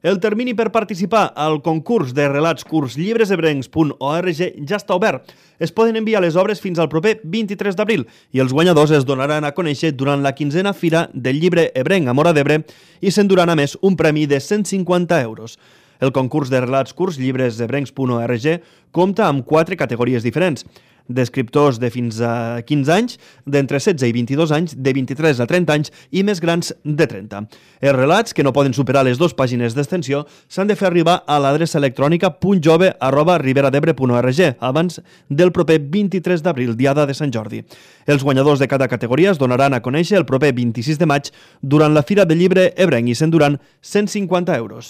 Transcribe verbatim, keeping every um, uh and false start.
El termini per participar al concurs de relats curts llibresebrencs punt org ja està obert. Es poden enviar les obres fins al proper vint-i-tres d'abril i els guanyadors es donaran a conèixer durant la quinzena Fira del Llibre Ebrenc a Móra d'Ebre i s'enduran a més un premi de cent cinquanta euros. El concurs de relats curts llibresebrencs punt org compta amb quatre categories diferents: d'escriptors de fins a quinze anys, d'entre setze i vint-i-dos anys, de vint-i-tres a trenta anys i més grans de trenta. Els relats, que no poden superar les dues pàgines d'extensió, s'han de fer arribar a l'adreça electrònica punt jove arroba riberadebre punt org abans del proper vint-i-tres d'abril, diada de Sant Jordi. Els guanyadors de cada categoria es donaran a conèixer el proper vint-i-sis de maig durant la Fira del Llibre Ebrenc i s'enduran cent cinquanta euros.